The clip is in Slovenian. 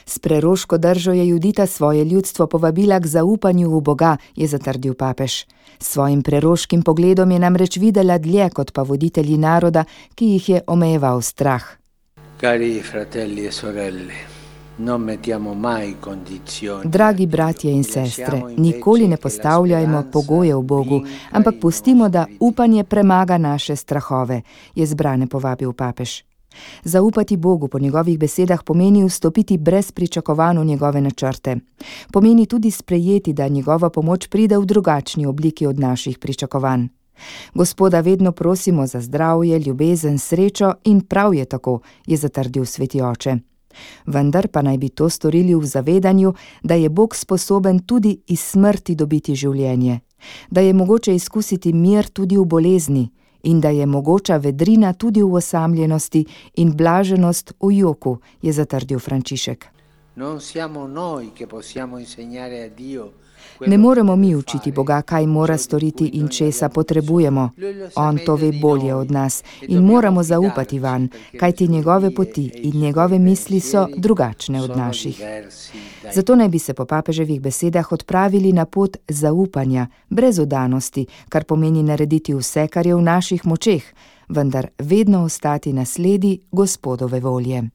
S preroško držo je Judita svoje ljudstvo povabila k zaupanju v Boga, je zatrdil papež. S svojim preroškim pogledom je namreč videla dlje kot pa voditelji naroda, ki jih je omejeval strah. Cari fratelli e sorelle, non mettiamo mai condizioni. Dragi bratje in sestre, nikoli ne postavljajmo pogojev Bogu, ampak pustimo, da upanje premaga naše strahove, je zbrane povabil papež. Zaupati Bogu po njegovih besedah pomeni vstopiti brez pričakovanj v njegove načrte. Pomeni tudi sprejeti, da njegova pomoč pride v drugačni obliki od naših pričakovanj. Gospoda vedno prosimo za zdravje, ljubezen, srečo in prav je tako, je zatrdil sveti oče. Vendar pa naj bi to storili v zavedanju, da je Bog sposoben tudi iz smrti dobiti življenje, da je mogoče izkusiti mir tudi v bolezni in da je mogoča vedrina tudi v osamljenosti in blaženost v joku, je zatrdil Frančišek. Ne moremo mi učiti Boga, kaj mora storiti in česa potrebujemo. On to ve bolje od nas in moramo zaupati vanj, kajti njegove poti in njegove misli so drugačne od naših. Zato naj bi se po papeževih besedah odpravili na pot zaupanja, brez vdanosti, kar pomeni narediti vse, kar je v naših močeh, vendar vedno ostati na sledi Gospodove volje.